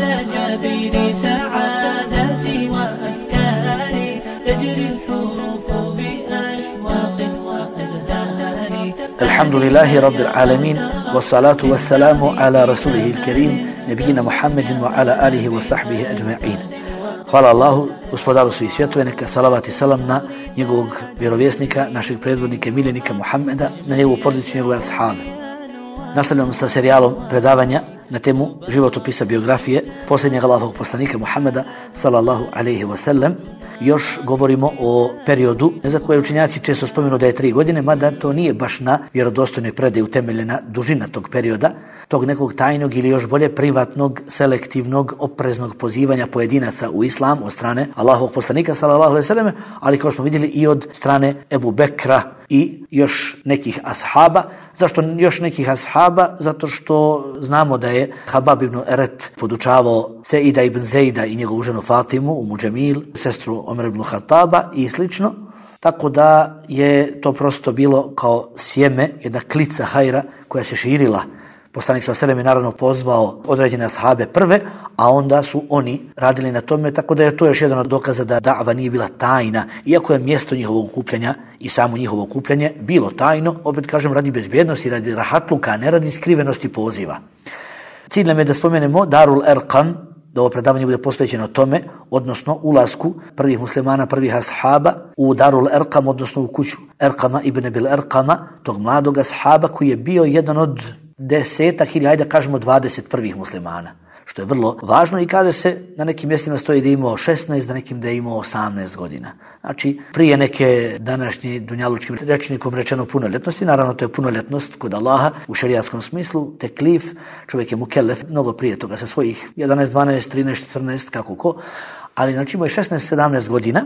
على جبين سعادتي وأفكاري تجري الحروف بأشواق وأزهار. الحمد لله رب العالمين والصلاة والسلام على رسوله الكريم نبينا محمد وعلى آله وصحبه أجمعين. Hvala Allahu, gospodaru svih svjetova, neka salavat i salam na njegovog vjerovjesnika, našeg predvodnika, miljenika Muhammeda, na njegovu porodicu, njegove ashabe. Nastavljamo sa serijalom predavanja na temu životopisa biografije posljednjeg Allahovog poslanika Muhammeda sallallahu alejhi ve sellem. Još govorimo o periodu za koje učenjaci često spomenu da je 3 godine, mada to nije baš na vjerodostojnoj predaji utemeljena dužina tog perioda, tog nekog tajnog ili još bolje privatnog, selektivnog, opreznog pozivanja pojedinaca u islam od strane Allahovog poslanika sallallahu alejhi ve selleme, ali kao smo vidjeli i od strane Ebu Bekra i još nekih ashaba. Zašto još nekih ashaba? Zato što znamo da je Habab ibn Eret podučavao Seida ibn Zejda i njegovu ženu Fatimu, Umu Džemil, sestru Omer ibn Khattaba i slično. Tako da je to prosto bilo kao sjeme, jedna klica hajra koja se širila. Poslanik sallallahu alejhi ve sellem je naravno pozvao određene ashabe prve, a onda su oni radili na tome, tako da je to još jedan od dokaza da da'va nije bila tajna, iako je mjesto njihovog okupljanja i samo njihovo okupljanje bilo tajno, opet kažem radi bezbjednosti, radi rahatluka, a ne radi skrivenosti poziva. Cilj nam je da spomenemo Darul Erqam, da ovo predavanje bude posvećeno tome, odnosno ulasku prvih muslimana, prvih ashaba u Darul Erqam, odnosno u kuću Erqama ibn Abil Erqama, tog mladog ashaba koji je bio jedan od 10 ili ajde kažemo 21 muslimana, što je vrlo važno i kaže se na nekim mjestima stoji da je imao 16, na nekim da je imao 18 godina. Znači prije neke današnji dunjalučkim rečnikom rečeno punoljetnosti, naravno to je punoljetnost kod Allaha u šerijatskom smislu, teklif, čovjek je mukellef mnogo prije toga sa svojih 11, 12, 13, 14, kako ko, ali znači imao je 16, 17 godina,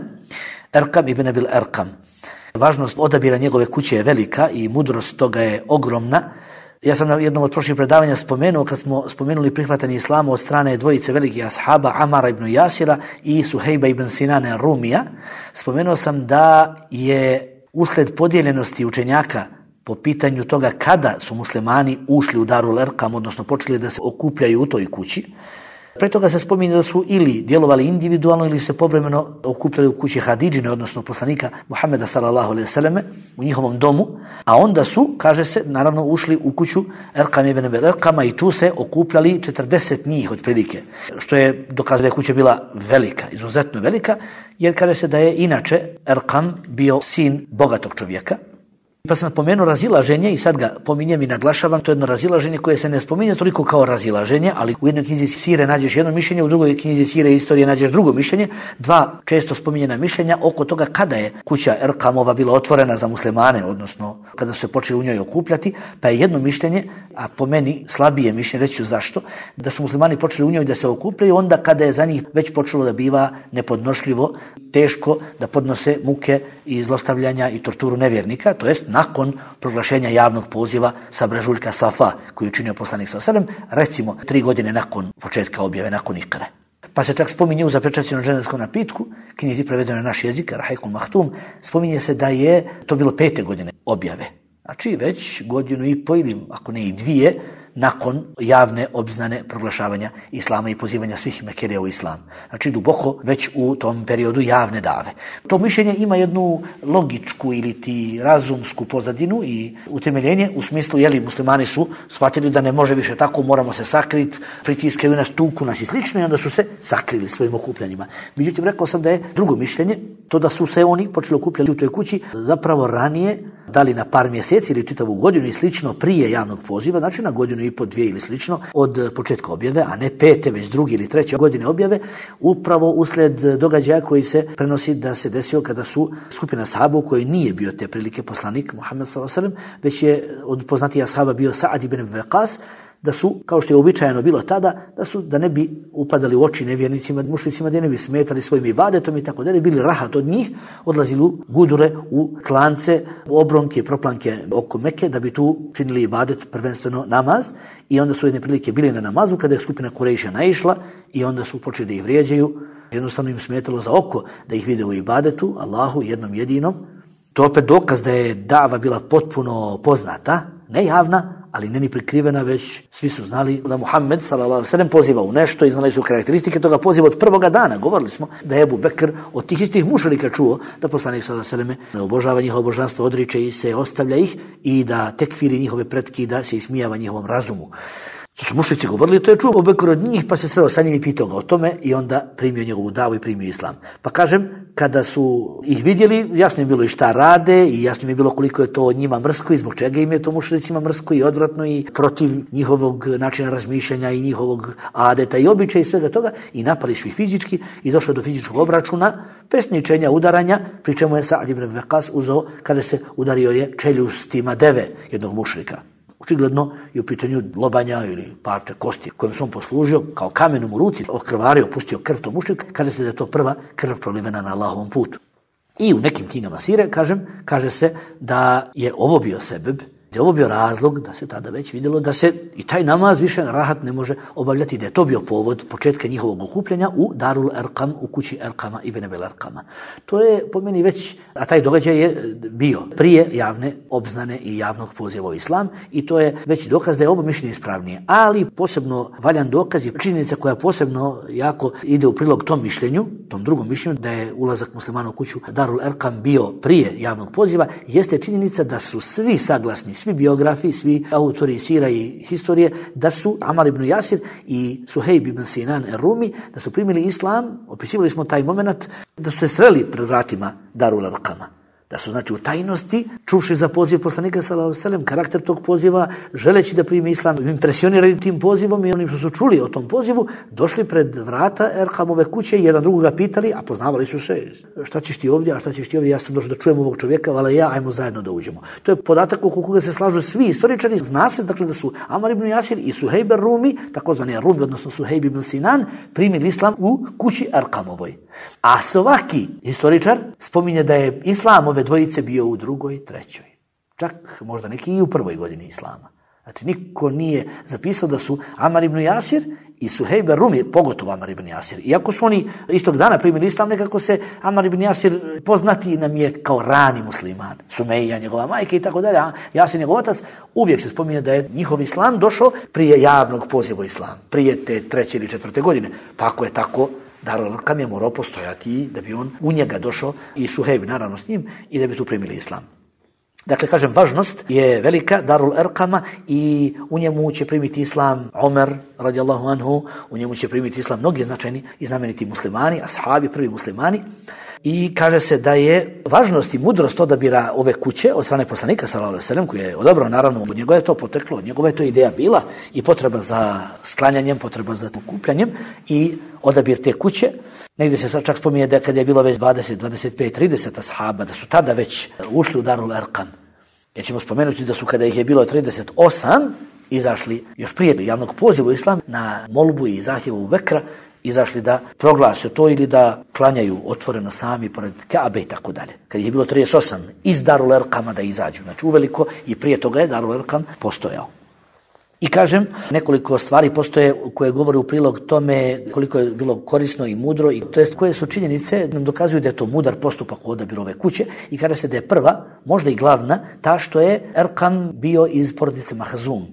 Erqam ibn Abil Erqam. Važnost odabira njegove kuće je velika i mudrost toga je ogromna. Ja sam na jednom od prošlih predavanja spomenuo, kad smo spomenuli prihvatanje islama od strane dvojice velikih ashaba, Amara ibn Jasira i Suhejba ibn Sinana Rumija, spomenuo sam da je usled podijeljenosti učenjaka po pitanju toga kada su muslimani ušli u Darul Erqam, odnosno počeli da se okupljaju u toj kući. Pre toga se spominje da su ili djelovali individualno ili se povremeno okupljali u kući Hadidžine, odnosno poslanika Muhammeda sallallahu alejhi ve selleme, u njihovom domu, a onda su, kaže se, naravno ušli u kuću Erqam ibn Abil Erqama i tu se okupljali 40 njih otprilike, što je dokaz da je kuća bila velika, izuzetno velika, jer kaže se da je inače Erqam bio sin bogatog čovjeka. Pa sam spomenuo razilaženje i sad ga pominjem i naglašavam, to je jedno razilaženje koje se ne spominje toliko kao razilaženje, ali u jednoj knjizi Sire nađeš jedno mišljenje, u drugoj knjizi Sire istorije nađeš drugo mišljenje, dva često spominjena mišljenja oko toga kada je kuća Erqamova bila otvorena za muslimane, odnosno kada su se počeli u njoj okupljati, pa je jedno mišljenje, a po meni slabije mišljenje, reći ću zašto, da su muslimani počeli u njoj da se okupljaju onda kada je za njih već počelo da biva nepodnošljivo, teško da podnose muke i zlostavljanja i torturu nevjernika, to jest nakon proglašenja javnog poziva sa brežuljka Safa koji je učinio poslanik sallallahu alejhi ve sellem, recimo 3 godine nakon početka objave, nakon Ikre. Pa se čak spominje u zapečaćenom dženevskom napitku, knjizi prevedeno na naš jezik, Rahejkul Mahtum, spominje se da je to bilo 5. godine objave. Znači već 1,5 godine ili ako ne i 2 nakon javne obznane proglašavanja islama i pozivanja svih Mekerija u islam. Znači duboko već u tom periodu javne dave. To mišljenje ima jednu logičku ili ti razumsku pozadinu i utemeljenje u smislu, jeli, muslimani su shvatili da ne može više tako, moramo se sakriti, pritiskaju nas, tuku nas i slično i onda su se sakrili svojim okupljanjima. Međutim, rekao sam da je drugo mišljenje, to da su se oni počeli okupljati u toj kući zapravo ranije, da li na par mjeseci ili čitavu godinu i slično prije javnog poziva, znači na 1,5 godine, 2 ili slično od početka objave, a ne 5. već 2. ili 3. godine objave, upravo usled događaja koji se prenosi da se desio kada su skupina ashaba koji nije bio te prilike poslanik Muhammed sallallahu alejhi ve sellem, već je od poznatih ashaba bio Sa'ad ibn Abi Waqqas, da su, kao što je uobičajeno bilo tada, da ne bi upadali u oči nevjernicima, mušricima, da ne bi smetali svojim ibadetom i tako dalje, bili rahat od njih, odlazili u gudure, u klance, u obronke, proplanke oko Mekke, da bi tu činili ibadet, prvenstveno namaz, i onda su jedne prilike bili na namazu kada je skupina Kurejša naišla i onda su počeli da ih vrijeđaju, jednostavno im smetalo za oko da ih vide u ibadetu, Allahu jednom jedinom. To opet dokaz da je dava bila potpuno poznata, ne javna, ali ne ni prikrivena, već svi su znali da Muhammed s.a.v. poziva u nešto i znali su karakteristike toga poziva od prvoga dana. Govorili smo da je Ebu Bekr od tih istih mušrika čuo da poslanik s.a.v. ne obožava njihovo božanstvo, odriče i se ostavlja ih i da tekfiri njihove pretke i da se ismijava njihovom razumu. To su mušrici govorili, to je čuo Ebu Bekr od njih, pa se sreo sa njim i pitao ga o tome i onda primio njegovu davu i primio islam. Pa kažem, kada su ih vidjeli, jasno im bilo i šta rade i jasno im je bilo koliko je to njima mrsko i zbog čega im je to mušricima mrsko i odvratno i protiv njihovog načina razmišljanja i njihovog adeta i običaja i svega toga i napali su ih fizički i došlo do fizičkog obračuna, pesničenja, udaranja, pri čemu je Sa'd ibn Waqqas uzeo kada se udario je čeljustima deve jednog mušrika. Očigledno je u pitanju lobanja ili parče kosti kojom se on poslužio kao kamenom u ruci, okrvario, pustio krv to mušrik, kaže se da je to prva krv prolivena na Allahovom putu. I u nekim knjigama sire, kaže se da je ovo bio sebeb, da je ovo bio razlog, da se tada već vidjelo da se i taj namaz više rahat ne može obavljati, da je to bio povod početka njihovog okupljanja u Darul Erkam, u kući Erkama ibn Abil Erkama. To je po meni već, a taj događaj je bio prije javne obznane i javnog poziva u islam i to je već dokaz da je ovo mišljenje ispravnije. Ali posebno valjan dokaz je činjenica koja posebno jako ide u prilog tom mišljenju, tom drugom mišljenju, da je ulazak muslimana u kuću Darul Erkam bio prije javnog poziva, jeste činjenica da su svi saglasni, svi biografi, svi autori sira i historije, da su Amar ibn Jasir i Suhejb ibn Sinan er-Rumi, da su primili islam, opisivali smo taj moment, da su se sreli pred vratima Darul Erkama. Da su, znači, u tajnosti, čuvši za poziv poslanika s.a.v. karakter tog poziva, želeći da primi islam, impresionirali tim pozivom i onim što su čuli o tom pozivu, došli pred vrata Erkamove kuće i jedan drugoga pitali, a poznavali su se, šta ćeš ti ovdje, a šta ćeš ti ovdje, ja sam došao da čujem ovog čovjeka, ali ja, ajmo zajedno da uđemo. To je podatak oko koga se slažu svi istoričari, zna se, dakle, da su Amar ibn Jasir i Suhejb er-Rumi, takozvani Rumi, odnosno Suhejb ibn Sinan, primili islam u kući Erkamovoj. A svaki historičar spominje da je islam ove dvojice bio u drugoj, trećoj. Čak možda neki i u prvoj godini islama. Znači niko nije zapisao da su Amar ibn Jasir i Suhejb er-Rumi, pogotovo Amar ibn Jasir. Iako su oni istog dana primili islam, nekako se Amar ibn Jasir poznati nam je kao rani musliman. Sumeja, njegova majka i tako dalje. Jasir, njegov otac, uvijek se spominje da je njihov islam došao prije javnog poziva islam. Prije te 3. ili 4. godine. Pa ako je tako, Darul Erkam je morao postojati da bi on u njega došao i Suhejb naravno s njim i da bi tu primili islam. Dakle, kažem, važnost je velika Darul Erkama i u njemu će primiti islam Omer radijallahu anhu, u njemu će primiti islam mnogi značajni i znameniti muslimani, ashabi, prvi muslimani. I kaže se da je važnost i mudrost odabira ove kuće od strane poslanika s.a.v. koji je odabrao, naravno, od njegove je to poteklo, od njegove je to ideja bila i potreba za sklanjanjem, potreba za okupljanjem i odabir te kuće. Negdje se sad čak spominje da kada je bilo već 20, 25, 30 ashaba, da su tada već ušli u Darul Erkam. Jer ćemo spomenuti da su kada ih je bilo 38 izašli još prije javnog poziva u islam na molbu i zahtjevu Ebu Bekra, izašli da proglase to ili da klanjaju otvoreno sami pored Kaabe i tako dalje. Kad je bilo 38 iz Darul Erkama da izađu, znači uveliko i prije toga je Darul Erkam postojao. I kažem, nekoliko stvari postoje koje govore u prilog tome koliko je bilo korisno i mudro, i to jest koje su činjenice nam dokazuju da je to mudar postupak u odabiru ove kuće i kaže se da je prva, možda i glavna, ta što je Erkam bio iz porodice Mahzum.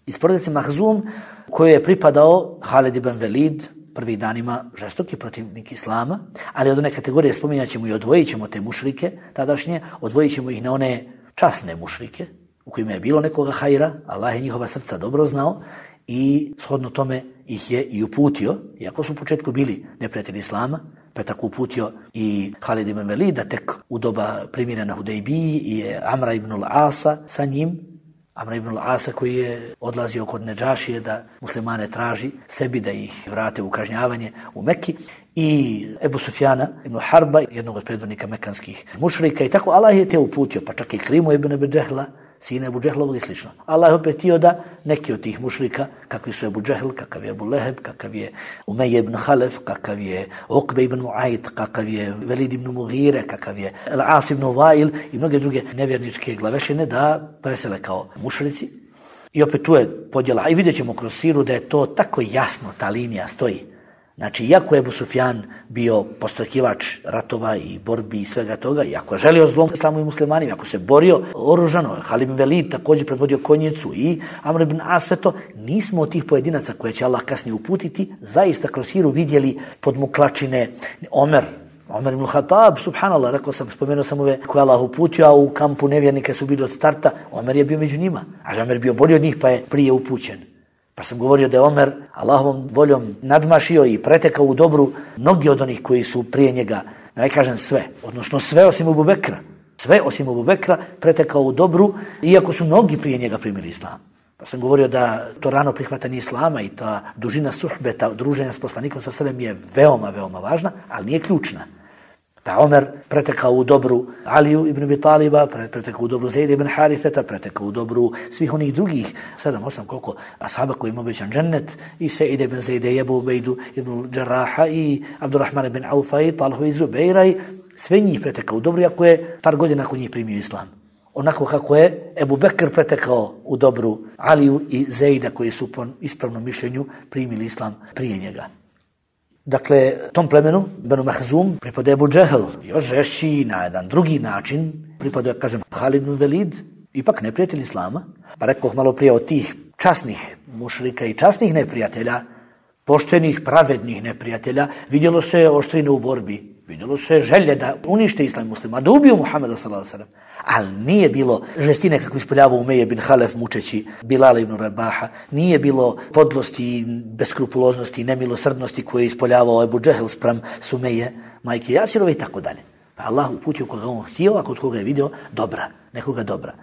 Iz porodice Mahzum kojoj je pripadao Halid ibn Velid, prvih danima žestoki protivnik islama, ali od one kategorije spominjat ćemo i odvojit ćemo te mušrike tadašnje, odvojit ćemo ih na one časne mušrike, u kojima je bilo nekoga hajra, Allah je njihova srca dobro znao i shodno tome ih je i uputio, iako su u početku bili neprijatelji islama, pa je tako uputio i Halid ibn Velid, da tek u doba primjera na Hudejbiji i Amra ibn al-Asa sa njim, Amr ibn al-Asa koji je odlazio kod Nedžašije da muslimane traži sebi da ih vrate u kažnjavanje u Mekki, i Ebu Sufjana ibn Harba, jednog od predvodnika mekanskih mušrika, i tako Allah je te uputio, pa čak i Krimu ibn Ebu Džehla, sina Ebu Džehlovog i slično. Allah je opet htio da neki od tih mušrika, kakvi su Ebu Džehl, kakav je Ebu Leheb, kakav je Umej ibn Halef, kakav je Uqbe ibn Mu'ajt, kakav je Velid ibn Mughire, kakav je Al-As ibn Vail i mnoge druge nevjerničke glavešine da presele kao mušrici. I opet tu je podjela. I vidjet ćemo kroz siru da je to tako jasno, ta linija stoji. Znači, iako je Ebu Sufjan bio postrakivač ratova i borbi i svega toga, iako je želio zlom islamu i muslimanima, ako se borio oružano, Halid ibn Velid također predvodio konjicu i Amr ibn As, sve to, nismo od tih pojedinaca koje će Allah kasnije uputiti, zaista kroz siru vidjeli podmuklačine Omer ibn Khattab, subhanallah, spomenuo sam ove koje Allah uputio, a u kampu nevjernike su bili od starta, Omer je bio među njima, a Omer je bio bolji od njih pa je prije upućen. Pa sam govorio da je Omer Allahovom voljom nadmašio i pretekao u dobru mnogi od onih koji su prije njega, da ne kažem sve, odnosno sve osim Ebu Bekra. Sve osim Ebu Bekra pretekao u dobru, iako su mnogi prije njega primili islam. Pa sam govorio da to rano prihvatanje islama i ta dužina suhbeta, druženja s poslanikom sa selem je veoma, veoma važna, ali nije ključna. Da Omer pretekao u dobru Aliju ibn Abi Taliba, pretekao u dobru Zejda ibn Haritheta, pretekao u dobru svih onih drugih, 7-8 koliko ashaba koji im obećan džennet, i Sejda ibn Zejde, i Ebu Ubejdu ibn Džarraha, i Abdurrahman ibn Aufa, i Talhu iz Zubeira, i sve njih pretekao u dobru, iako je par godina nakon njih primio islam. Onako kako je Ebu Bekr pretekao u dobru Aliju i Zejda, koji su po ispravnom mišljenju primili islam prije njega. Dakle, tom plemenu, Benu Mahzum, pripada Ebu Džehel, još žešći na jedan drugi način, pripada, kažem, Halid ibn Velid, ipak neprijatelj islama. Pa rekoh malo prije od tih časnih mušrika i časnih neprijatelja, poštenih, pravednih neprijatelja, vidjelo se oštrine u borbi, vidjelo se želje da unište islam muslima, da ubiju Muhameda s.a.v. Ali nije bilo žestine kako ispoljavao Umeje bin Halef mučeći Bilala ibn Rabaha, nije bilo podlosti, beskrupuloznosti, nemilosrdnosti koje je ispoljavao Ebu Džehel spram Sumeje, majke Jasirove i tako dalje. Pa Allah uputio koga on htio, a kod koga je vidio dobra, nekoga dobra.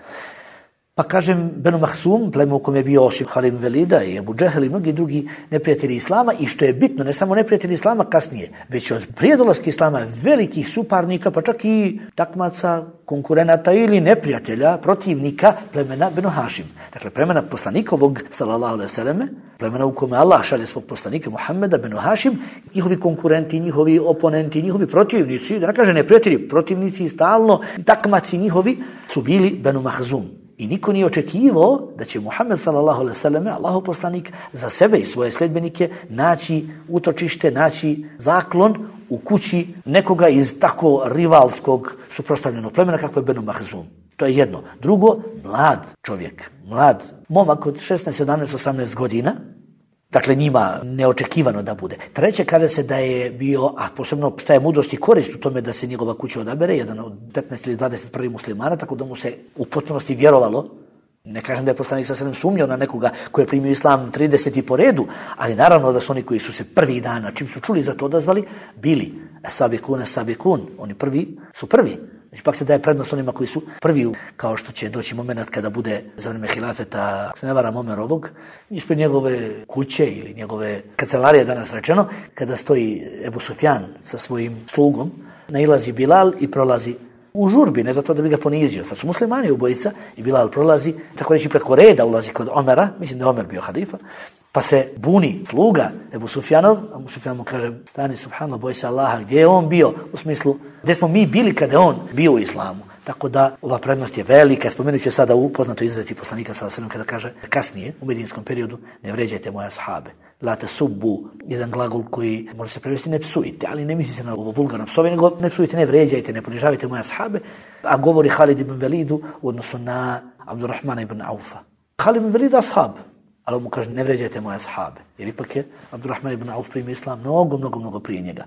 Pa kažem, Benu Mahsum, pleme u kom je bio osim Halid ibn Velida i Ebu Džehel i mnogi drugi neprijatelji islama, i što je bitno, ne samo neprijatelji islama kasnije, već od prije dolaska islama velikih suparnika, pa čak i takmaca, konkurenata ili neprijatelja, protivnika plemena Benu Hašim. Dakle, plemena poslanikovog, sallallahu alejhi ve selleme, plemena u kome Allah šalje svog poslanika Muhammeda, Benu Hašim, njihovi konkurenti, njihovi oponenti, njihovi protivnici, da ne kaže neprijatelji, protivnici stalno, takmaci njihovi su bili Benu Mahzum. I niko nije očekivao da će Muhammed sallallahu alejhi ve selleme, Allahov poslanik, za sebe i svoje sledbenike naći utočište, naći zaklon u kući nekoga iz tako rivalskog suprotstavljenog plemena kako je Benu Mahzum. To je jedno. Drugo, mlad čovjek, mlad momak od 16, 17, 18 godina, dakle njima neočekivano da bude. Treće, kaže se da je bio, a posebno šta je mudrost i korist u tome da se njegova kuća odabere, jedan od 15 ili 21 muslimana, tako da mu se u potpunosti vjerovalo. Ne kažem da je poslanik sa selem sumnjao na nekoga koji je primio islam 30 po redu, ali naravno da su oni koji su se prvih dana, čim su čuli za to odazvali, bili sabikun, oni prvi su prvi. Znači, pak se daje prednost onima koji su prvi, kao što će doći moment kada bude za vreme hilafeta, ako se ne varam, Omerovog, ispred njegove kuće ili njegove kancelarije, danas rečeno, kada stoji Ebu Sufjan sa svojim slugom, nailazi Bilal i prolazi u žurbi, ne zato da bi ga ponizio. Sad su muslimani ubojica i Bilal prolazi, tako reći preko reda ulazi kod Omera, mislim da je Omer bio halifa, pa se buni sluga Ebu Sufjanov, a Ebu Sufjan mu kaže, stani, subhanallah, boj se Allaha, gdje je on bio, u smislu, gdje smo mi bili kada je on bio u islamu. Tako da ova prednost je velika. Spomenut ću sada u poznatoj izreci poslanika sallallahu alejhi ve sellem kada kaže kasnije u medijinskom periodu, ne vređajte moje ashabe. La tasubbu, jedan glagol koji može se prevesti ne psujte, ali ne misli se na ovo vulgarno psovanje, nego ne psujte, ne vređajte, ne ponižavajte moje ashabe, a govori Halid ibn Velidu u odnosu na Abdurrahmana ibn Aufa. Halid ibn Velid ashab, ali mu kaže ne vređajte moje ashabe, jer ipak je Abdurrahman ibn Auf primio islam mnogo prije njega.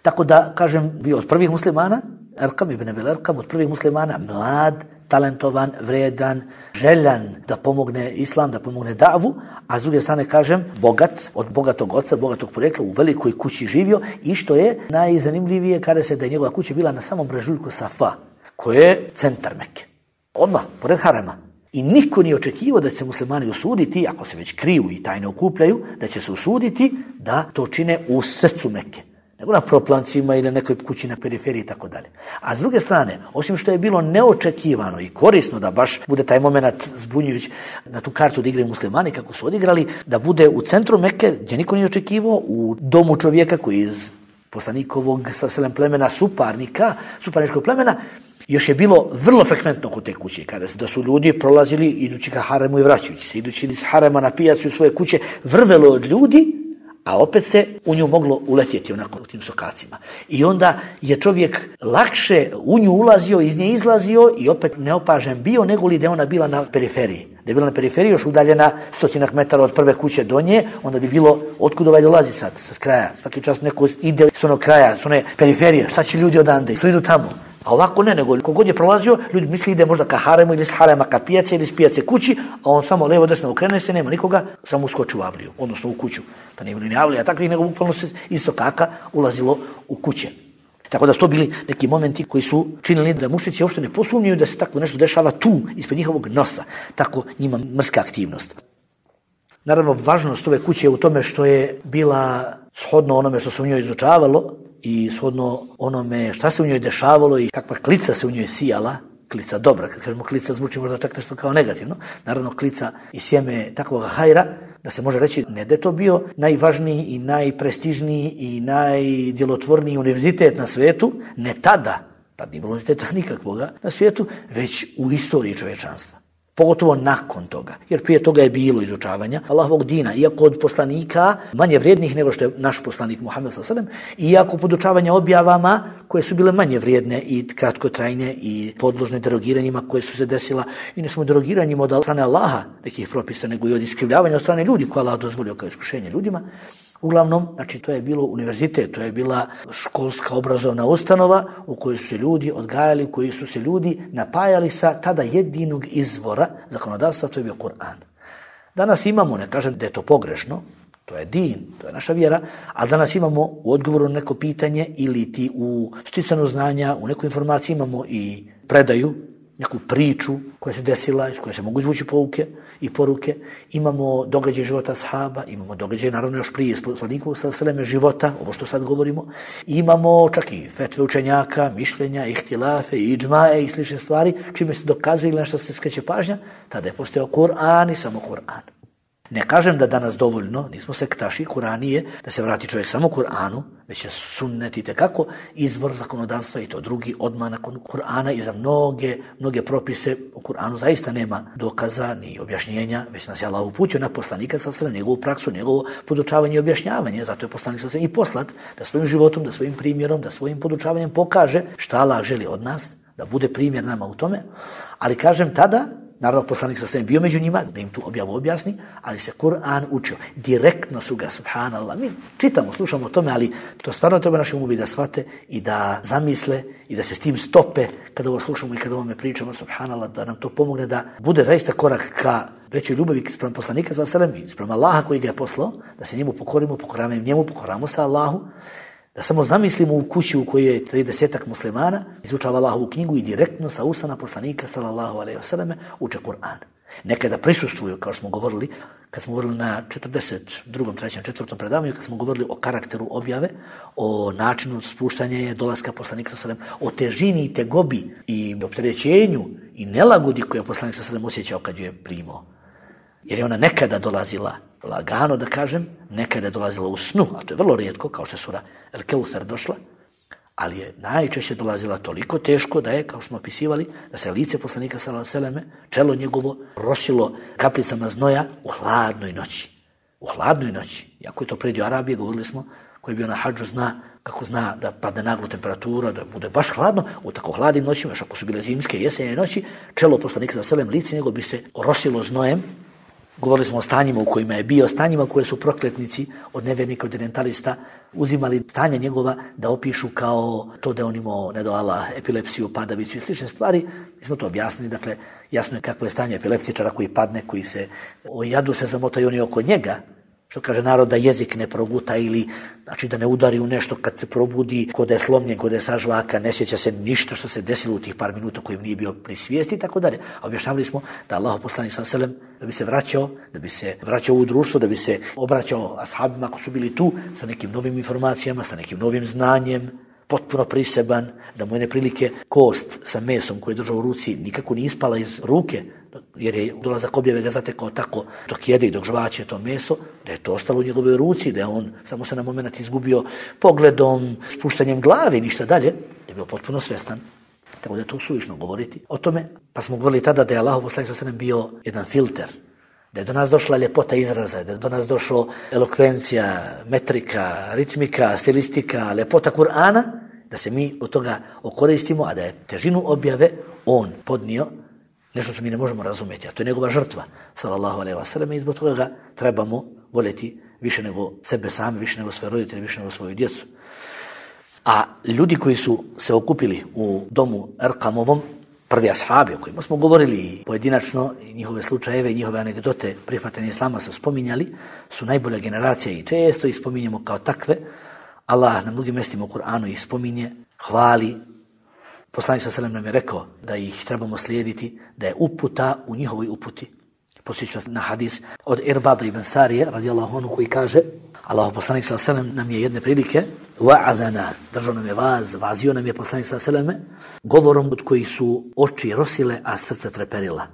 Tako da, kažem, bio od prvih muslimana, Erkam ibn Abil Erkam, od prvih muslimana, mlad, talentovan, vredan, željan da pomogne islam, da pomogne davu, a s druge strane, kažem, bogat, od bogatog oca, bogatog porekla, u velikoj kući živio, i što je najzanimljivije, kaže se da je njegova kuća bila na samom brežuljku Safa, koje je centar Mekke. Odmah, pored harema. I niko nije očekivao da će se muslimani usuditi, ako se već kriju i tajno okupljaju, da će se usuditi da to čine u srcu Mekke, nego na proplancima ili na nekoj kući na periferiji i tako dalje. A s druge strane, osim što je bilo neočekivano i korisno da baš bude taj moment zbunjujući na tu kartu da igraju muslimani kako su odigrali, da bude u centru Mekke gdje niko nije očekivao, u domu čovjeka koji iz poslanikovog sa selem plemena suparničkog plemena, još je bilo vrlo frekventno kod te kuće, kada da su ljudi prolazili idući ka haremu i vraćajući se, idući iz harema na pijacu u svoje kuće, vrvelo od ljudi, a opet se u nju moglo uletjeti onako u tim sokacima. I onda je čovjek lakše u nju ulazio, iz nje izlazio i opet neopažen bio nego li da je ona bila na periferiji. Da je bila na periferiji još udaljena 100 metara od prve kuće do nje, onda bi bilo otkud ovaj dolazi sad, sa kraja. Svaki čas neko ide s onog kraja, s one periferije, šta će ljudi odande, što idu tamo. A ovako ne, nego kogod je prolazio, ljudi misli ide možda ka haremu ili s harema ka pijace ili s pijace kući, a on samo levo desno okrene se, nema nikoga, samo uskoči u avliju, odnosno u kuću. Da nije bilo ni avlija takvih, nego bukvalno se iz sokaka ulazilo u kuće. Tako da su to bili neki momenti koji su činili da mušnici uopšte ne posumnjaju da se tako nešto dešava tu, ispred njihovog nosa. Tako njima mrska aktivnost. Naravno, važnost ove kuće je u tome što je bila shodno onome što se u njoj izučavalo i shodno onome šta se u njoj dešavalo i kakva klica se u njoj sijala, klica dobra. Kad kažemo klica zvuči možda čak nešto kao negativno. Naravno, klica i sjeme takvog hajra, da se može reći ne da je to bio najvažniji i najprestižniji i najdjelotvorniji univerzitet na svijetu, ne tada, tad nije bilo univerziteta nikakvoga na svijetu, već u istoriji čovječanstva. Pogotovo nakon toga, jer prije toga je bilo izučavanja Allahovog dina, iako od poslanika manje vrijednih nego što je naš poslanik Muhammed s.a.v. iako podučavanja objavama koje su bile manje vrijedne i kratkotrajne i podložne derogiranjima koje su se desila i ne samo derogiranjima od strane Allaha nekih propisa, nego i od iskrivljavanja od strane ljudi koje Allah dozvolio kao iskušenje ljudima. Uglavnom, znači to je bilo univerzitet, to je bila školska obrazovna ustanova u kojoj su se ljudi odgajali, u kojoj su se ljudi napajali sa tada jedinog izvora zakonodavstva, to je bio Kur'an. Danas imamo, ne kažem da je to pogrešno, to je din, to je naša vjera, a danas imamo u odgovoru na neko pitanje ili ti u sticanju znanja, u nekoj informaciji imamo i predaju, neku priču koja se desila, iz koje se mogu izvući pouke i poruke. Imamo događaj života ashaba, imamo događaj naravno još prije poslanikovog sallallahu života, ovo što sad govorimo. Imamo čak i fetve učenjaka, mišljenja, ihtilafe, idžmaje i slične stvari, čime se dokazuje ili nešto se skreće pažnja, tada je postojao Kur'an i samo Kur'an. Ne kažem da danas dovoljno, nismo sektaši, Kur'an je da se vrati čovjek samo Kur'anu, već je sunnet itekako izvor zakonodavstva i to drugi odmah nakon Kur'ana i za mnoge propise u Kur'anu zaista nema dokaza ni objašnjenja, već nas je Allah uputio na poslanika s.a.v. njegovu praksu, njegovo podučavanje i objašnjavanje, zato je poslanik s.a.v. i poslat da svojim životom, da svojim primjerom, da svojim podučavanjem pokaže šta Allah želi od nas, da bude primjer nama u tome, ali kažem tada, naravno, poslanik sa svem bio među njima, da im tu objavu objasni, ali se Kur'an učio. Direktno su ga, subhanallah, mi čitamo, slušamo o tome, ali to stvarno treba našim umovi da shvate i da zamisle i da se s tim stope kada ovo slušamo i kada ovome pričamo, subhanallah, da nam to pomogne da bude zaista korak ka većoj ljubavi sprem poslanika sa svem i sprem Allaha koji ga je poslao, da se njemu pokorimo, pokoravamo njemu, pokoramo se Allahu, da samo zamislimo u kući u kojoj je 30 muslimana, izučava Allahovu knjigu i direktno sa usana poslanika sallallahu alejhi ve selleme uče Kur'an. Nekada prisustvuju, kao što smo govorili, kad smo govorili na 42., 3., 4. predavanju, kad smo govorili o karakteru objave, o načinu spuštanja dolaska poslanika sallallahu alejhi ve sellem, o težini i tegobi i opterećenju i nelagodi koje je poslanik sallallahu alejhi ve sellem osjećao kad ju je primao. Jer je ona nekada dolazila lagano, da kažem, nekada je dolazila u snu, a to je vrlo rijetko, kao što je sura El Keusar došla, ali je najčešće dolazila toliko teško da je, kao smo opisivali, da se lice poslanika sallallahu alejhi ve selleme, čelo njegovo rosilo kapljicama znoja u hladnoj noći. U hladnoj noći. Iako je to predio Arabije, govorili smo, koji je bio na hadžu zna kako zna da padne naglo temperatura, da bude baš hladno, u tako hladnim noćima, još ako su bile zimske jesenje noći, čelo poslanika sallallahu alejhi ve sellem, lice njegovo bi se rosilo znojem. Govorili smo o stanjima u kojima je bio, stanjima koje su prokletnici od nevjernika, od orientalista uzimali stanja njegova da opišu kao to da on imao, ne do Allah, epilepsiju, padavicu i slične stvari. Mi smo to objasnili, dakle, jasno je kakvo je stanje epileptičara koji padne, koji se o jadu se zamotaju oni oko njega, što kaže narod da jezik ne proguta ili znači da ne udari u nešto kad se probudi, kod je slomljen, kod je sažvaka, ne sjeća se ništa što se desilo u tih par minuta kojim nije bio pri svijesti i tako dalje. A objašnjavali smo da Allah poslanik sallallahu alejhi ve sellem da bi se vraćao u društvo, da bi se obraćao ashabima ako su bili tu sa nekim novim informacijama, sa nekim novim znanjem, potpuno priseban, da mu je neprilike kost sa mesom koju je držao u ruci nikako nije ispala iz ruke, jer je dolazak objave ga zatekao tako dok jede i dok žvaće to meso, da je to ostalo u njegovoj ruci, da je on samo se na moment izgubio pogledom, spuštanjem glave i ništa dalje, da je bio potpuno svjestan. Tako da je to suvišno govoriti o tome. Pa smo govorili tada da je Allah poslanik sallallahu alejhi ve sellem bio jedan filter, Da je do nas došla ljepota izraza, da je do nas došla elokvencija, metrika, ritmika, stilistika, ljepota Kur'ana, da se mi od toga okoristimo, a da je težinu objave on podnio nešto što mi ne možemo razumjeti, a to je njegova žrtva, sallallahu alejhi ve sellem, i zbog toga ga trebamo voljeti više nego sebe sami, više nego svoje roditelje, više nego svoju djecu. A ljudi koji su se okupili u domu Erkamovom, prvi ashabi o kojima smo govorili pojedinačno, njihove slučajeve i njihove anegdote prihvatanja islama su spominjali, su najbolja generacija i često ih spominjemo kao takve. Allah na mnogim mjestima u Kur'anu ih spominje, hvali. Poslanik sallallahu alejhi ve sellem nam je rekao da ih trebamo slijediti, da je uputa u njihovoj uputi. Podsjećam na hadis od Irbada ibn Sarije, radijallahu anhu, koji kaže, Allahu poslanik sallallahu alejhi ve sellem nam je jedne prilike wa'adana, držao nam je vazio nam je poslanik sallallahu alejhi ve sellem govorom od kojih su oči rosile, a srca treperila.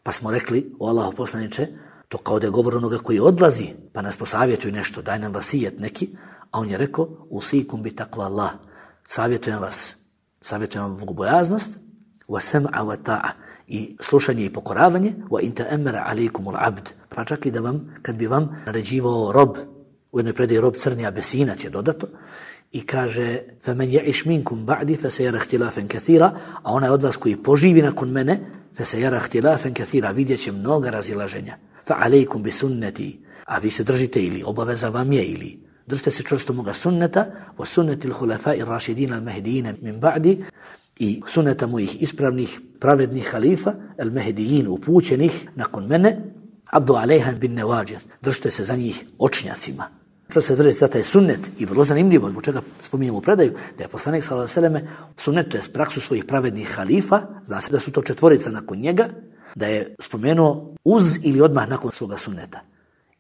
Pa smo rekli, o Allahu poslaniče, to kao da je govor onoga koji odlazi, pa nas posavjetuju nešto, daj nam vasijet neki, a on je rekao, usikum bi takva Allah, savjetujem vam bogobojaznost, wa sam'a wa ta'a, i slušanje i pokoravanje, wa in ta'ammara alaykumul abd, pa čak i da vam, kad bi vam naređivao rob, u jednoj predaji rob crni abesinac je dodato, i kaže, فَمَنْ يَعِشْ مِنْكُمْ بَعْدِ فَسَيَرَ اخْتِلَافًا كَثِيرًا, a onaj od vas koji poživi nakon mene, فَسَيَرَ اخْتِلَافًا كَثِيرًا, vidjet će mnoga razilaženja. فَعَلَيْكُمْ بِسُنَّتِي, a vi se držite ili obaveza vam je, ili držite se čvrsto moga sunneta, وَسُنَّتِ الْخُلَفَاءِ الرَّاشِدِينَ الْمَهْدِيِّينَ مِنْ بَعْدِ, i sunneta mojih ispravnih, pravednih halifa, el-Mehdijin, upućenih nakon mene, abdu alejhan bin nevađid, držite se za njih očnjacima. Što se držite za taj sunnet, i vrlo zanimljivo, zbog čega spominjemo u predaju, da je poslanik sallallahu alejhi ve selleme sunnet, to je praksu svojih pravednih halifa, zna se da su to četvorica nakon njega, da je spomenuo uz ili odmah nakon svoga sunneta.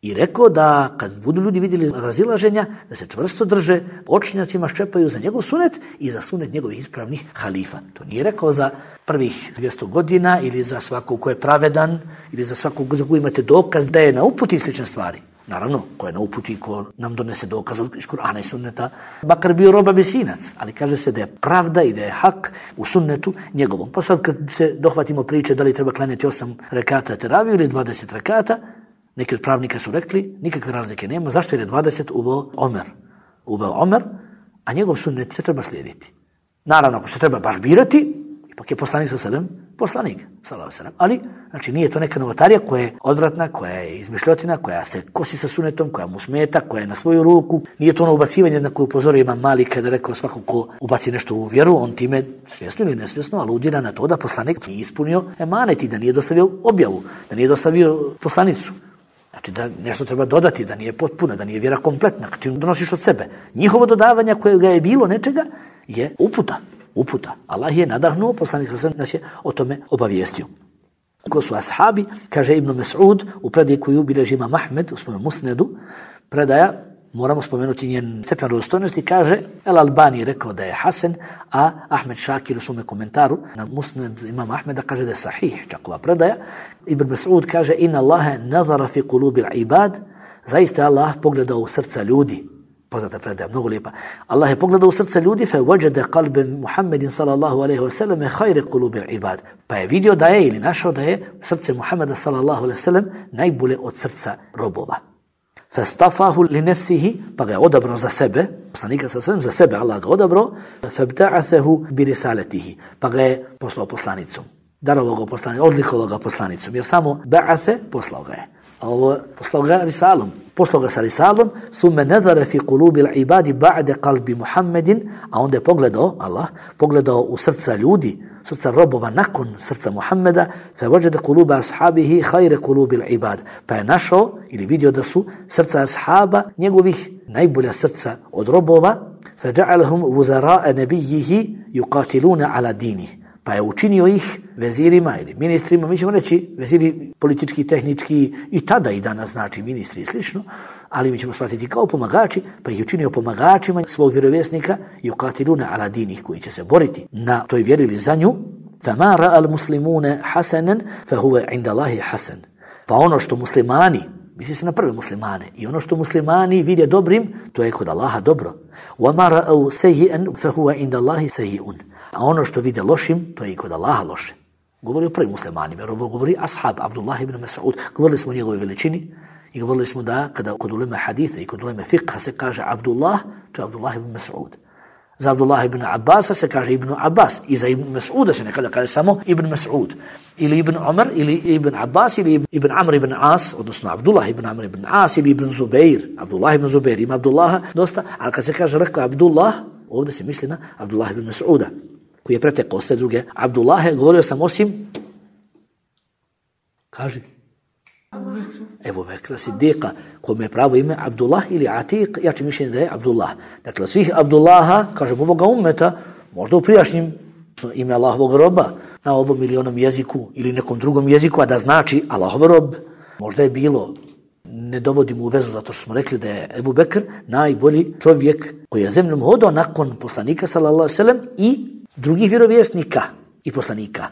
I rekao da kad budu ljudi vidjeli razilaženja, da se čvrsto drže, očnjacima ščepaju za njegov sunet i za sunet njegovih ispravnih halifa. To nije rekao za prvih 200 godina ili za svakog ko je pravedan ili za svakog za koji imate dokaz da je na uputi slične stvari. Naravno, ko je na uputi, ko nam donese dokaz iz Kur'ana i sunneta, makar bio rob abesinac, ali kaže se da je pravda i da je hak u sunnetu njegovom. Pa sad kad se dohvatimo priče da li treba klanjati 8 rekata teraviju ili 20 rekata, neki od pravnika su rekli, nikakve razlike nema, zašto je 20 uveo Omer, a njegov sunnet se treba slijediti. Naravno, ako se treba baš birati, ipak je poslanik sallallahu alejhi ve sellem, ali znači nije to neka novotarija koja je odvratna, koja je izmišljotina, koja se kosi sa sunnetom, koja mu smeta, koja je na svoju ruku. Nije to ono ubacivanje na koje upozorio Imam Malik kada rekao svako ko ubaci nešto u vjeru, on time svjesno ili nesvjesno aludira na to da poslanik nije ispunio emanet i da nije dostavio objavu, da nije dostavio poslanicu. Znači da nešto treba dodati, da nije potpuna, da nije vjera kompletna, čim donosiš od sebe. Njihovo dodavanje kojega je bilo nečega je uputa. Allah je nadahnuo, poslanik nas je o tome obavijestio. Ko su ashabi, kaže Ibn Mas'ud, u predaji koju bilježi Imam Ahmed u svojom musnedu, predaja, moramo spomenuti njen stepen vjerodostojnosti, kaže, El Albani rekao da je hasan, a Ahmed Šakir u svome komentaru na musned Imam Ahmeda kaže da je sahih, čak ova predaja. Ibn Mas'ud kaže, inna Allahe nazara fi kulubil ibad, zaista Allah pogledao u srca ljudi. Poznata predaja, mnogo lijepa. Allah je pogledao u srca ljudi, fe wajada qalba Muhammedin sallallahu alejhi ve sellem khayra qulubil ibad. Pa je vidio da je ili našao da je srce Muhameda sallallahu alejhi ve sellem najbolje od srca robova. Fastafahu li nafsihi, pa ga je odabrao za sebe, poslanika sallallahu alejhi ve sellem za sebe, Allah ga odabrao, fabta'athahu bi risalatihi, pa ga je poslao poslanicom. Darovao ga poslanicom, odlikovao ga poslanicom, jer samo ba'athe poslao ga je. A ovo poslao ga risalom. Poslao ga sa risalom, summe nazara fi qulubil ibadi ba'de qalbi Muhammedin, a onda je pogledao u srca ljudi, srca robova nakon srca Muhammeda, fa wajada quluba ashabihi khayra qulubil ibad. Pa je našao ili vidio da su srca ashaba njegovih najbolja srca od robova, fa ja'alahum wuzara'a nabiyhi yuqatiluna ala dinihi. Pa je učinio ih vezirima ili ministrima, mi ćemo reći veziri politički, tehnički i tada i danas znači ministri i slično, ali mi ćemo shvatiti kao pomagači, pa ih učinio pomagačima svog vjerovjesnika yuqatiluna ala dinih, koji će se boriti na toj vjeri ili za nju. فَمَا رَأَ الْمُسْلِمُونَ حَسَنًا فَهُوَ عِنْدَ اللَّهِ حَسَنًا. Pa ono što muslimani, misli se na prve muslimane, i ono što muslimani vide dobrim, to je kod Allaha dobro. وَمَا رَأَوْ سَيِّئًا فَهُوَ عِنْدَ اللَّهِ سَيِّئٌ. A ono što vide lošim, to je i kod Allaha loše. govori o prvim muslimanima, jer ovo govori ashab, Abdullah ibn Mas'ud. Govorili smo o njegovoj veličini i govorili smo da kada kod ulema haditha i kod ulema fiqha se kaže Abdullah, to je Abdullah ibn Mas'ud. Za Abdullah ibn Abbasa se kaže Ibn Abbas i za Ibn Mas'uda se nekada kaže samo Ibn Mas'ud. Ili Ibn Umar, ili Ibn Abbas, ili Ibn Amr ibn As, odnosno Abdullah ibn Amr ibn As, ili Ibn Zubair. Abdullah ibn Zubair, ima Abdullaha dosta, ali kad se kaže rekao Abdullah, ovdje se misli na Abdullah ibn Mas'uda, koji je pretekao sve druge Abdullahe. Govorio sam osim, kaži, Ebu Bekra Siddiqa, kome je pravo ime Abdullah ili Atiq, ja ću mišljenje da je Abdullah. Dakle, svih Abdullaha, kažem, ovoga ummeta, možda u prijašnjim ime Allahovog roba, na ovom ili onom jeziku ili nekom drugom jeziku, a da znači Allahov rob, možda je bilo, ne dovodimo u vezu zato što smo rekli da je Ebu Bekr najbolji čovjek koji je zemljom hodao nakon poslanika sallallahu alejhi ve sellem i drugih vjerovjesnika i poslanika.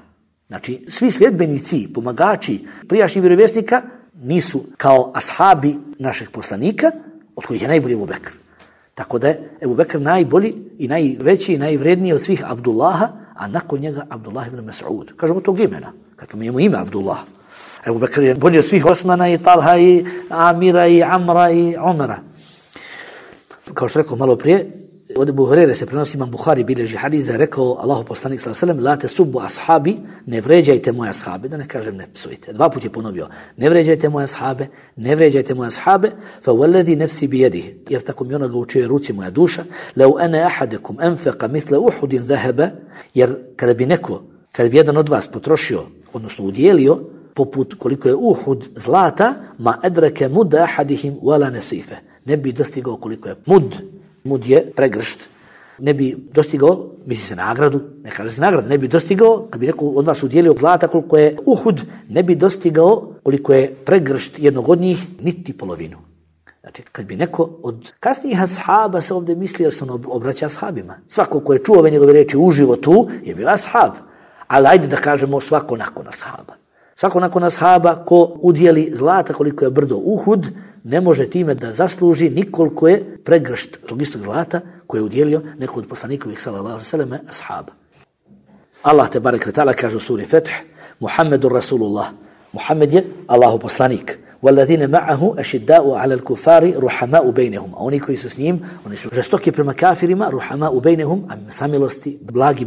Znači, svi sljedbenici, pomagači prijašnjih vjerovjesnika nisu kao ashabi naših poslanika, od kojih je najbolji Ebu Bekr. Tako da je Ebu Bekr najbolji i najveći i najvredniji od svih Abdullaha, a nakon njega Abdullah ibn Mas'ud. Kažemo tog imena, kad pominjemo ime Abdullah. Ebu Bekr je bolji od svih Osmana i Talha i Amira i Amra i Umara. Kao što rekao malo prije, od Ebu Hurere se prenosi, Imam Buhari bilježi hadis da je rekao Allahu poslanik sallallahu alejhi ve sellem: "La tasubbu ashabi", ne vređajte moje ashabe, da ne kažem ne psujte. Dva puta je ponovio: "Ne vređajte moje ashabe, ne vređajte moje ashabe, fa wallazi nafsi bi yadihi", jer tako mi onoga u čijoj ruci moja duša, "Law ana ahadukum anfaqa mithla Uhudin dhahaba", jer kada bi jedan od vas potrošio, odnosno udjelio poput koliko je Uhud zlata, ma adraka mud ahadihim wala nasifa, ne bi dostigao koliko je mud je pregršt, ne bi dostigao, misli se nagradu, ne kaže se nagradu, ne bi dostigao, kad bi neko od vas udjelio zlata koliko je Uhud, ne bi dostigao koliko je pregršt jednog od njih, niti polovinu. Znači, kad bi neko od kasnijih ashaba se ovdje misli, jer se on obraća ashabima. Svako ko je čuo ove njegove reči uživo tu, je bio ashab. Ali ajde da kažemo svako nakon ashaba. Svako nakon ashaba ko udjeli zlata koliko je brdo Uhud, ne može time da zasluži nikoliko je pregršt tog istog zlata koje je udjelio neko od poslanikovih sallallahu alejhi ve sellem ashaba. Allah te barek ve taala kaže u suri Fath: "Muhammedur Rasulullah", Muhammed je Allahov poslanik. "Walladhina ma'ahu ashidda'u 'ala al-kuffari ruhama'u bainahum", a oni koji su s njim, oni su žestoki prema kafirima, ruhama'u bainahum, a samilosti, blagi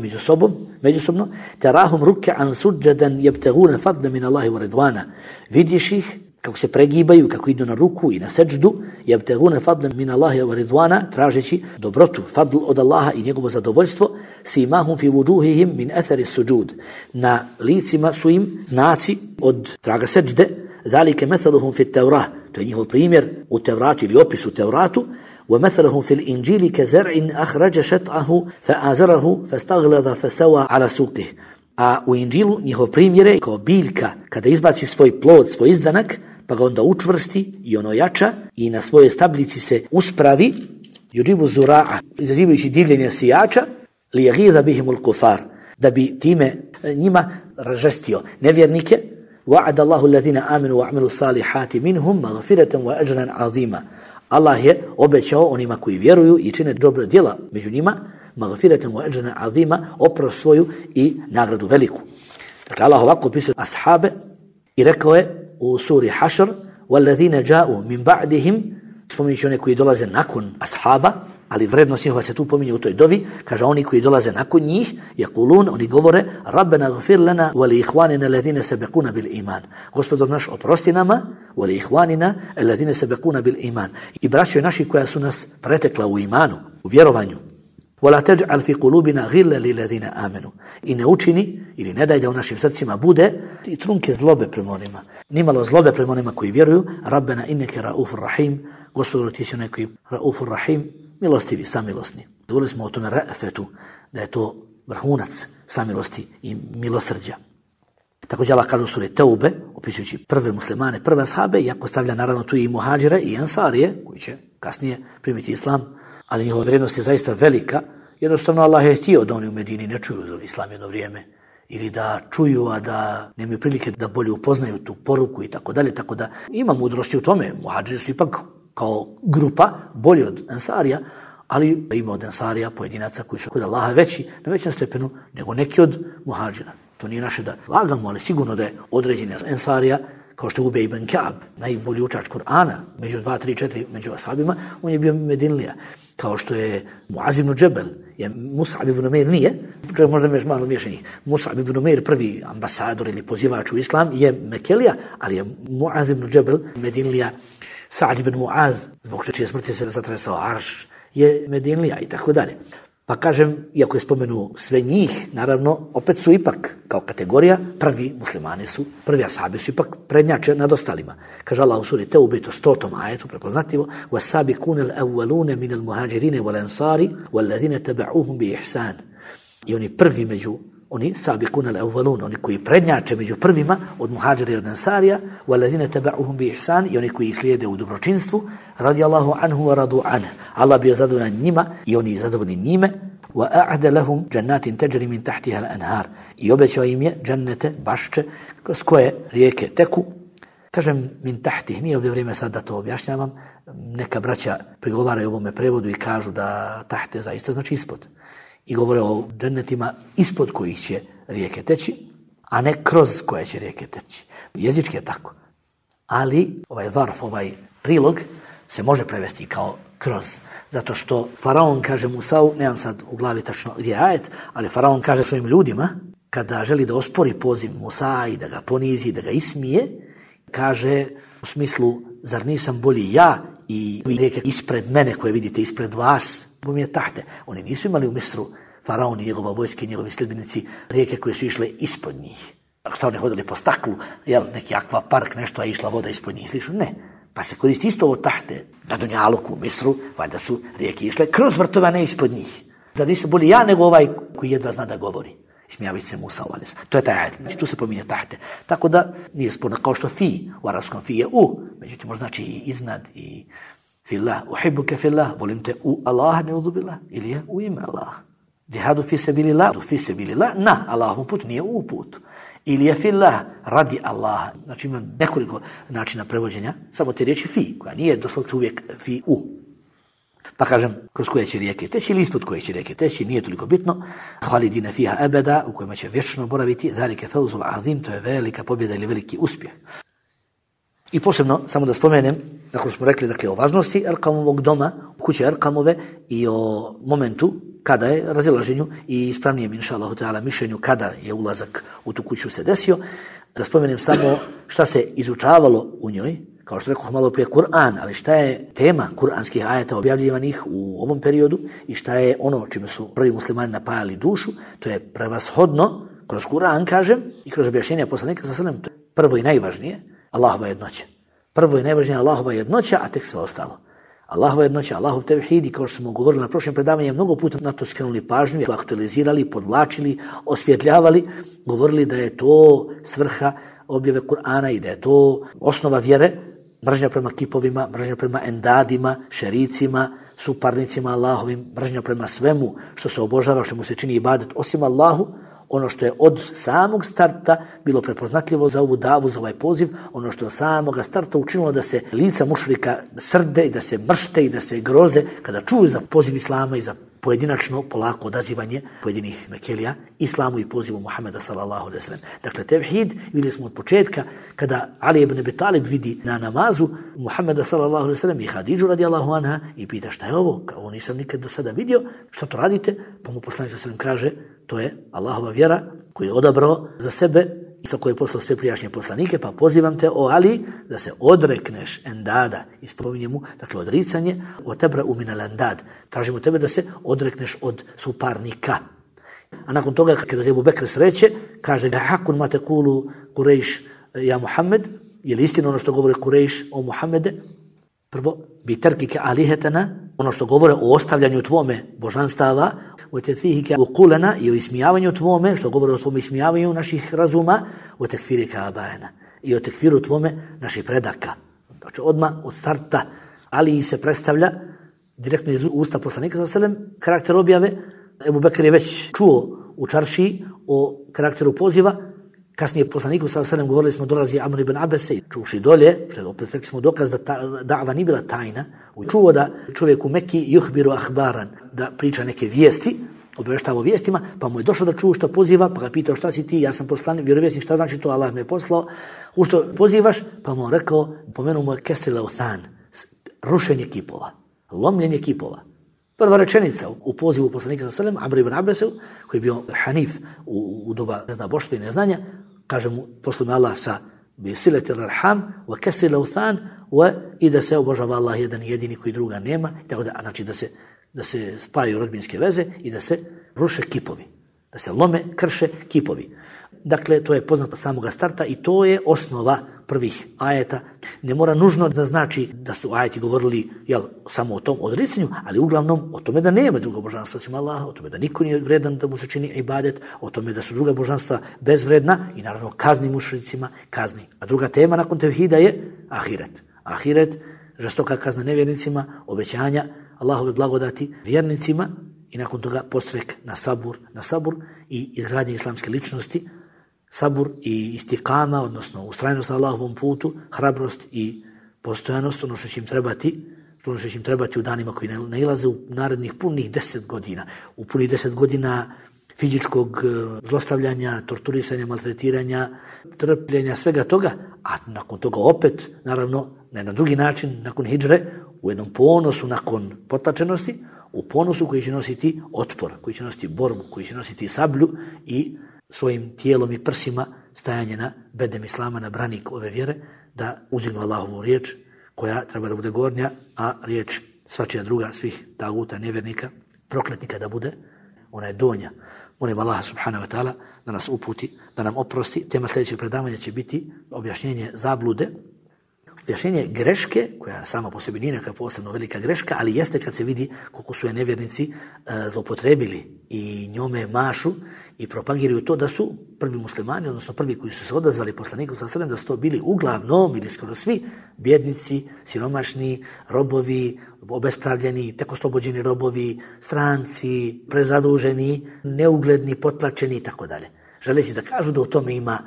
međusobno, tarahum ruk'an sujadan yabtaguna fadlan min Allahi wa ridwana, vidiš ih kako se pregibaju, kako idu na ruku i na seđdu, yabtaguna fadlan min Allahi wa ridwana, tražeći dobrotu, fadl od Allaha i njegovo zadovoljstvo, simahum fi wujuhihim min athari sujud, na licima su im znaci od traga seđde, zalike mathaluhum fi at-Taurah, to je njihov primjer u Tevratu ili opis u Tevratu, wa mathaluhum fi al-Injili ka zar'in akhraja shat'ahu fa azarahu fastaghlada fasawa ala suqihi. A u Injilu njihov primjer je kao biljka kada izbaci svoj plod, svoj izdanak, pa ga onda učvrsti i ono jača i na svojoj stablici se uspravi, yujibu zura'a, izazivajući divljenje sijača, li yaghidha bihim al-kufar, da bi time njima ražestio nevjernike. وَعَدَ اللَّهُ الَّذِينَ آمَنُوا وَعَمِلُوا الصَّالِحَاتِ مِنْهُمْ مَغْفِرَةً وَأَجْرًا عَظِيمًا. Allah je obećao onima koji vjeruju i čine dobra djela među njima, مَغْفِرَةً وَأَجْرًا عَظِيمًا, oprost svoju i nagradu veliku. Dakle, Allah ovako opisuje ashabe i rekao je u suri Hašr: وَالَّذِينَ جَاءُوا مِنْ بَعْدِهِمْ, spominjući one koji dolaze nakon ashaba, ali vrednost njihova se tu pominje u toj dovi, kaže oni koji dolaze nakon njih, yaqulun, oni govore: Rabbena gfir lana wa li ikhwanina alladhina sabaquna bil iman. Gospodar naš, oprosti nama, wa li ikhwanina alladhina sabaquna bil iman, i braćo naši koja su nas pretekla u imanu, u vjerovanju. Wala taj'al fi qulubina ghillan lil ladina amanu, i ne učini ili ne daj da u našim srcima bude i trunke zlobe prema onima, nimalo zlobe prema onima koji vjeruju. Rabbena innaka raufur rahim, Gospodaru ti si onaj koji raufur rahim, milostivi, samilosni. Govorili smo o tome ra'fetu, da je to vrhunac samilosti i milosrđa. Također Allah kaže u suri Teube, opisujući prve muslimane, prve ashabe, iako stavlja naravno tu i muhađire i ansarije, koji će kasnije primiti islam, ali njihova vrijednost je zaista velika. Jednostavno Allah je htio da oni u Medini ne čuju za islam jedno vrijeme, ili da čuju, a da nemaju prilike da bolje upoznaju tu poruku i tako dalje, tako da ima mudrosti u tome. Muhađiri su ipak kao grupa bolji od ansarija, ali ima od ansarija pojedinaca koji su kod Allaha veći, na većem stepenu nego neki od muhađira. To nije naše da lagamo, ali sigurno da je određena ensarija, kao što je Ubej ibn Ka'b, najbolji učač Kur'ana, među 2, 3, 4, među ashabima, on je bio Medinlija. Kao što je Muaz ibn Džebel, je Mus'ab ibn Umeir nije, možda me malo miješani. Mus'ab ibn Umeir, prvi ambasador ili pozivač u islam, je Mekelija, ali je Muaz ibn Džebel, Medinlija. Sa'd ibn Muaz, zbog čije smrti se zatresao arš, je Medinlija i tako dalje. Pa kažem, iako je spomenu sve njih, naravno, opet su ipak, kao kategorija, prvi muslimani su, prvi ashabi su ipak prednjače nad ostalima. Kaže Allah u suri Teube, to 100. ajetu, prepoznatljivo, وَسَابِكُونَ الْأَوَّلُونَ مِنَ الْمُهَاجِرِينَ وَالْأَنصَارِ وَالَّذِينَ تَبَعُوهُمْ بِإِحْسَانِ. I oni prvi među, oni sabiqun al-awwalun, oni koji prednjače među prvima od muhađira i od ansarija, وَالَّذِينَ تَبَعُوهُمْ بِإِحْسَانِ, i oni koji ih slijede u dobročinstvu, radijallahu anhu wa radu anhu. Allah bio zadovoljan njima i oni zadovoljni njime. وَأَعْدَ لَهُمْ جَنَّاتٍ تَجْرِي مِنْ تَحْتِهَا الْأَنْهَارِ, i obećao im je džennete, bašče, kroz koje rijeke teku. Kažem min tahtih, nije ovdje vrijeme sad da to objašnjavam. Neka braća prigovaraju ovome prevodu i kažu da tahte zaista znači ispod. I govore o džennetima ispod kojih će rijeke teći, a ne kroz koje će rijeke teći. Jezički je tako. Ali ovaj varf, ovaj prilog se može prevesti kao kroz. Zato što faraon kaže Musau, nemam sad u glavi tačno gdje je ajet, ali faraon kaže svojim ljudima, kada želi da ospori poziv Musa i da ga ponizi, da ga ismije, kaže u smislu, zar nisam bolji ja i rijeke ispred mene koje vidite ispred vas, bom je tahte. Oni nisu imali u Misru, faraon i njegova vojska i njegovi sljedbenici, rijeke koje su išle ispod njih. Šta oni hodili po staklu, neki akvapark, nešto, a išla voda ispod njih, slično? Ne. Pa se koristi isto ovo tahte. Na Dunjaluku, u Misru, valjda su rijeke išle kroz vrtove, ne ispod njih. Da nisam bolji ja nego ovaj koji jedva zna da govori. Ismijavajući se Musa, to je taj ajet. Znači, tu se pominje tahte. Tako da nije sporno, kao što fi, u arapskom fi je u, međutim možda znači i iznad i fillah, uhibbuke fillah, volim te u Allah, ne uzubillah, ili je u ime Allah. Džihadu fi sebilillah, na Allahovom putu, nije u putu. Ili je fillah, radi Allaha. Znači ima nekoliko načina prevođenja, samo te riječi fi, koja nije doslovce uvijek fi u. Pa kažem, kroz koje će rijeke teći ili ispod koje će rijeke teći, nije toliko bitno. Halidina fiha abada, u kojima će vječno boraviti, zalike fawzul azim, to je velika pobjeda ili veliki uspjeh. I posebno, samo da spomenem, nakon smo rekli dakle, o važnosti Erkamovog doma, kuće Erkamove i o momentu kada je razilaženju i ispravnijem, inša Allahu ta'ala, mišljenju kada je ulazak u tu kuću se desio, da spomenem samo šta se izučavalo u njoj, kao što rekao malo prije Kur'an, ali šta je tema kuranskih ajeta objavljivanih u ovom periodu i šta je ono čime su prvi muslimani napajali dušu, to je prevashodno, kroz Kur'an kažem, i kroz objašnjenja poslanika sa sallam, to je prvo i najvažnije, Allahova jednoća. Prvo i najvažnije Allahova jednoća, a tek sve ostalo. Allahova jednoća, Allahov tevhid, i kao što smo govorili na prošljem predavanju, mnogo puta na to skrenuli pažnju, aktualizirali, podvlačili, osvjetljavali, govorili da je to svrha objave Kur'ana i da je to osnova vjere, mržnja prema kipovima, mržnja prema endadima, šericima, suparnicima Allahovim, mržnja prema svemu što se obožava, što mu se čini ibadet osim Allahu, ono što je od samog starta bilo prepoznatljivo za ovu davu, za ovaj poziv, ono što je od samog starta učinilo da se lica mušrika srde i da se mršte i da se groze kada čuju za poziv Islama i za pojedinačno polako odazivanje pojedinih mekelija Islamu i pozivu Muhammeda sallallahu alejhi ve sellem. Dakle, tevhid vidjeli smo od početka kada Ali ibn Abi Talib vidi na namazu Muhammeda sallallahu alejhi ve sellem i Hadidžu radijallahu anha i pita šta je ovo, kao nisam nikad do sada vidio, šta to radite? Pa mu poslanik sallallahu kaže, to je Allahova vjera koju je odabrao za sebe i sa koje je poslao sve prijašnje poslanike, pa pozivam te, o Ali, da se odrekneš endada, i spominje mu, dakle, odricanje, o tebra uminal endad, tražimo tebe da se odrekneš od suparnika. A nakon toga, kada Ebu Bekr sreće, kaže, hakun ma tekulu Kurejš ja Muhammed, je li istina ono što govore Kurejš o Muhammede? Prvo, bi terkike alihetana, ono što govore o ostavljanju tvome božanstava, o tethihike ukulena i o ismijavanju tvome, što govore o tvome ismijavanju naših razuma, o tekfirika abajena i o tekfiru tvome naših predaka. Znači odmah od starta Ali se predstavlja direktno iz usta poslanika sallallahu alejhi ve sellem karakter objave. Ebu Bekr je već čuo u čaršiji o karakteru poziva. Kasnije poslaniku sallallahu alejhi ve sellem govorili smo dolazi Amr ibn Abese, čuši dolje, što je opet rekli smo dokaz da da'va nije bila tajna. Čuo da čovjek u Mekki yuhbiru ahbaran, da priča neke vijesti, obavještavao vijestima, pa mu je došlo da čuo što poziva, pa ga pitao šta si ti, ja sam poslanik, vjerovjesnik, šta znači to, Allah me je poslao, u što pozivaš, pa mu on rekao, pomenuo mu je kesril authan, rušenje kipova, lomljenje kipova. Prva rečenica u pozivu poslanika sallallahu alejhi ve sellem Amr ibn Abasa, koji je bio hanif u doba neznaboštva i neznanja, kaže mu, poslao me Allah sa bi siletil arham wa kasril authan i da se obožava Allah jedan jedini koji druga nema, tako da znači da se spajaju rodbinske veze i da se ruše kipovi, da se lome, krše kipovi. Dakle, to je poznato samoga starta i to je osnova prvih ajeta. Ne mora nužno da znači da su ajeti govorili samo o tom odricanju, ali uglavnom o tome da nema drugog božanstva osim Allaha, o tome da niko nije vredan da mu se čini ibadet, o tome da su druga božanstva bezvredna i naravno kazni mušricima, kazni. A druga tema nakon tevhida je ahiret. Ahiret, žestoka kazna nevjernicima, obećanja Allahove blagodati vjernicima i nakon toga podstrek na sabur i izgradnje islamske ličnosti, sabur i istikama, odnosno ustrajnost na Allahovom putu, hrabrost i postojanost, ono što će im trebati u danima koji nailaze u narednih punih 10 godina. U punih 10 godina fizičkog zlostavljanja, torturisanja, maltretiranja, trpljenja, svega toga, a nakon toga opet, naravno, na jedan drugi način, nakon hidžre, u jednom ponosu nakon potlačenosti, u ponosu koji će nositi otpor, koji će nositi borbu, koji će nositi sablju i svojim tijelom i prsima stajanje na bedem islama, na branik ove vjere, da uzdignu Allahovu riječ koja treba da bude gornja, a riječ svačija druga, svih taguta, nevjernika, prokletnika da bude, ona je donja. Molim Allaha subhanahu wa ta'ala da nas uputi, da nam oprosti. Tema sljedećeg predavanja će biti objašnjenje zablude, objašnjenje greške, koja sama po sebi nije neka posebno velika greška, ali jeste kad se vidi koliko su je nevjernici zlopotrebili i njome mašu i propagiraju to da su prvi muslimani, odnosno prvi koji su se odazvali poslaniku sallallahu alejhi ve sellem, da su to bili uglavnom ili skoro svi bjednici, siromašni, robovi, obespravljeni, tek oslobođeni robovi, stranci, prezaduženi, neugledni, potlačeni i tako dalje. Želeći da kažu da u tome ima,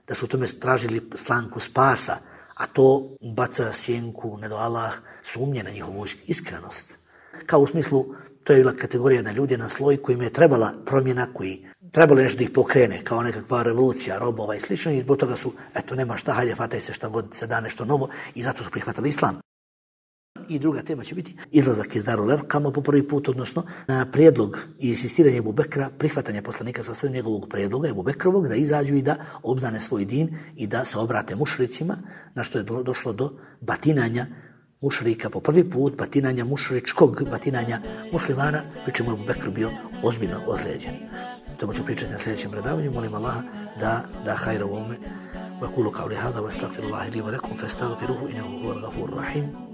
da su u tome tražili slanku spasa, a to baca sjenku, ne do Allah, sumnje na njihovu iskrenost. Kao u smislu, to je bila kategorija na ljudi, na sloj kojim je trebala promjena, koji trebalo nešto da ih pokrene, kao nekakva revolucija, robova i slično, i zbog toga su, nema šta, hajde, fataj se šta god se da nešto novo, i zato su prihvatili islam. I druga tema će biti izlazak iz Darul Erkama po prvi put, odnosno na prijedlog i insistiranje Ebu Bekra, prihvatanje poslanika sa srednjeg njegovog prijedloga Ebu Bekrovog da izađu i da obznane svoj din i da se obrate mušricima, na što je došlo do batinanja mušrika po prvi put, batinanja mušričkog, batinanja muslimana, pri čemu je Ebu Bekr bio ozbiljno ozlijeđen. To ću pričati na sljedećem predavanju. Molim Allaha da hajra u ovome. وأقول قولي هذا واستغفر الله لي ولكم فاستغفروه إنه هو الغفور الرحيم